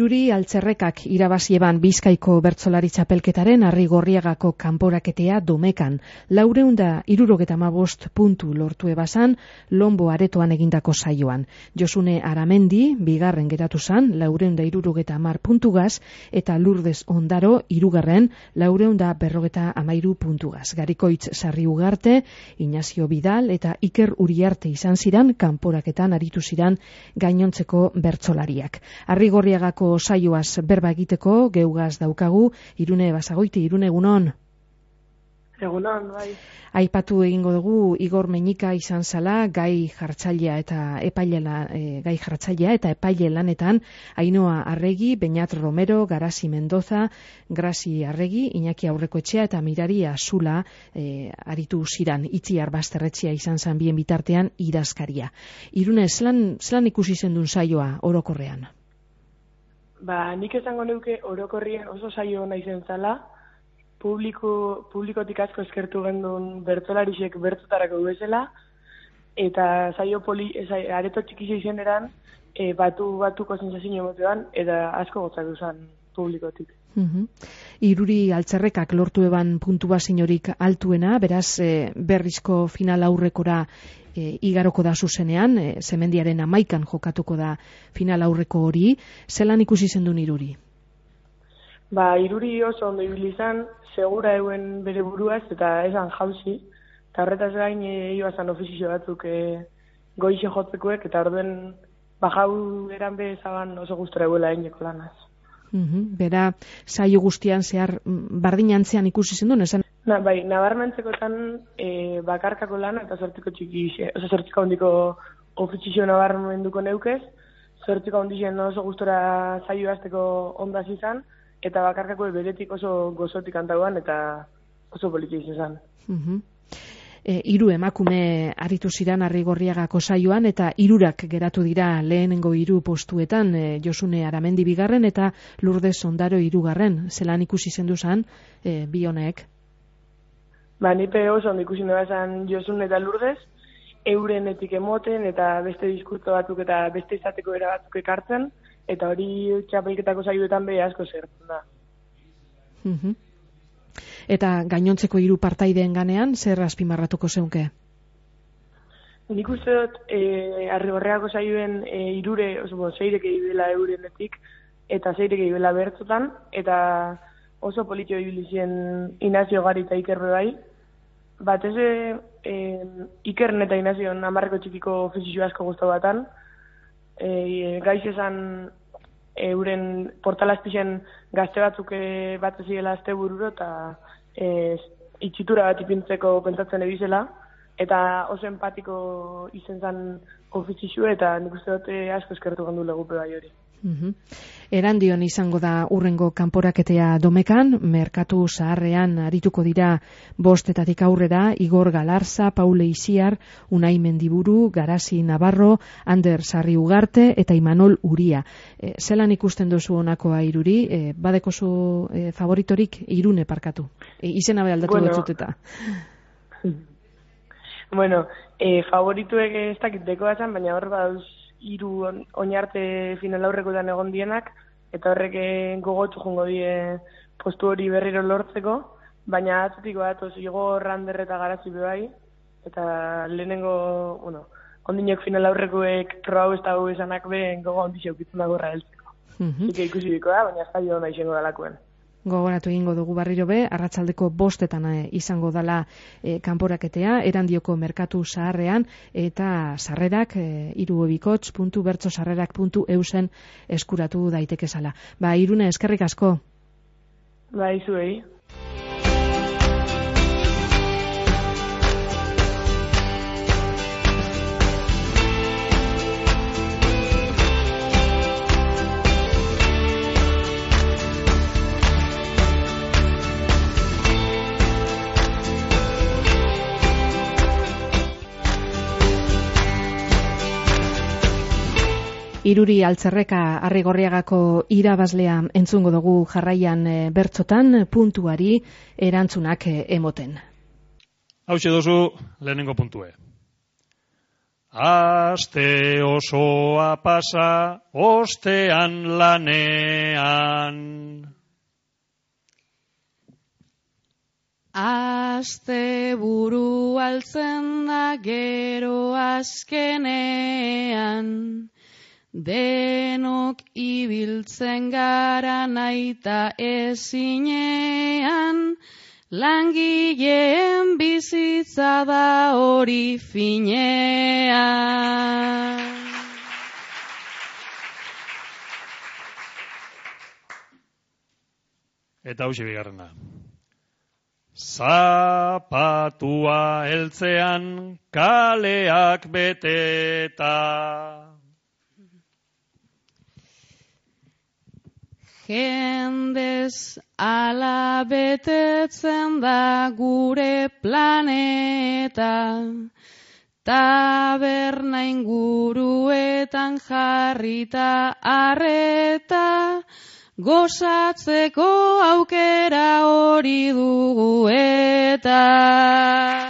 Iruri Altzerrekak irabazieban Bizkaiko bertsolari txapelketaren Arrigorriagako kanporaketea Domekan. 475 puntu lortu ebasan Lombo aretoan egindako saioan. Josune Aramendi bigarren geratu zan 470 puntugaz eta Lourdes Ondaro hirugarren 453 puntugaz. Garikoitz Sarri Ugarte, Ignacio Vidal eta Iker Uriarte izan ziran kanporaketan aritu ziran gainontzeko bertsolariak. Arrigorriagako saioaz berba egiteko geugaz daukagu Irune Basagoiti. Irune, egunon. Egunon, bai. Aipatu egingo dugu Igor Meñika izan zala gai jartzailea eta epaile lanetan Ainhoa Arregi, Beñat Romero, Garasi Mendoza, Grasi Arregi, Iñaki Aurrekoetxea eta Mirari Azula aritu ziran. Itziar Basterretxea izan zan bien bitartean idazkaria. Irune, zelan ikusi zendun saioa orokorrean? Nik esango neuke orokorrien oso saio ona izen zala, publikotik asko eskertu gendun bertsolarixek bertzotarako bezala, eta saio areto txikixe izen eran, batuko sensazio emotean, eta asko gotzatu zen publikotik. Iruri Altzerrekak lortu eban puntua ziniorik altuena, beraz berrizko final aurrekora igaroko da zuzenean, Zemendiaren 11an jokatuko da final aurreko hori. Zelan ikusi zendun Iruri? Iruri oso ondo ibili izan, segura euen bere buruaz eta esan jauzi, eta horretaz gain ibazan ofizio batzuk goixe jotzekoek, eta orduen jau eran bezaban oso gustora euela eineko lanaz. Bera, saio guztian zehar bardinantzean ikusi zendun, esan? Nabarmentzekotan bakarkako lana eta zortziko handiko ofizio nabarmenduko neukez, zortziko handixen oso gustora saio azteko ondaz izan, eta bakarkako beretik oso gozotik antauan eta oso politik izan. Hiru emakume aritu ziran Arrigorriagako saioan eta hirurak geratu dira lehenengo 3 postuetan, Josune Aramendi bigarren eta Lourdes Ondaro hirugarren. Zelan ikusi zendu zan bi honek? Nipe oso ondo ikusi nebazan Josune eta Lourdes, eurenetik emoten eta beste diskurtso batzuk eta beste izateko era batzuk ekartzen, eta hori txapelketako saioetan behi asko zertzen da. Eta gainontzeko 3 partaideen ganean, zer azpimarratuko zeunke? Nik uste dut, Arrigorriagako saioen zeirek egibela eurenetik, eta zeirek egibela bertzotan, eta oso politio ibilizien Ignacio Gari eta Iker bai. Batez Ikern eta Ignacio 10 txikiko ofizio asko guztu batan, gaiz esan euren portalazpixen gazte batzuk bat ezigela azte bururo eta itxitura bat ipintzeko pentsatzen ebizela, eta oso empatiko izen zen ofizio eta nik uste dut asko eskertu gandu legupe bai hori. Erandion izango da urrengo kanporaketea Domekan, merkatu zaharrean arituko dira 5etatik aurrera Igor Galarza, Paule Isiar, Unai Mendiburu, Garasi Navarro, Ander Sarri Ugarte eta Imanol Uria. Zelan ikusten duzu honakoa Iruri? Badekozu favoritorik? Irune parkatu. Izena be aldatu betzuteta. Favorituek ez dakit dekoa zan, baina hor badauz 3 oinarte final aurrekoetan egon dienak, eta horrek gogotu jongo die postu hori berriro lortzeko, baina atzutiko datoz Igor, Ander eta Garasi bai, eta lehenengo, ondinok final aurrekoek proba ez dago esanak be gogo ondixo ukitzen dagorra heltzeko. Ike ikusi biko da, baina ez da izango dalakoen. Gogoratu egingo dugu berriro be, arratsaldeko 5etan izango dala kanporaketea, Erandioko merkatu zaharrean, eta sarrerak irubikots.bertsosarrerak.eusen eskuratu daitekezala. Irune, eskerrik asko. Zuei. Iruri Altzerreka Arrigorriagako irabazlea entzungo dugu jarraian bertzotan puntuari erantzunak emoten. Hauxe dozu lehenengo puntue. aste osoa pasa ostean lanean. Aste buru altzen da gero azkenean, denok ibiltzen gara naita ezinean, langileen bizitza da hori finean. Eta hauxe bigarrena. Zapatua heltzean kaleak beteta. Jendez ala betetzen da gure planeta, taberna inguruetan jarrita arreta, gozatzeko aukera hori dugu eta.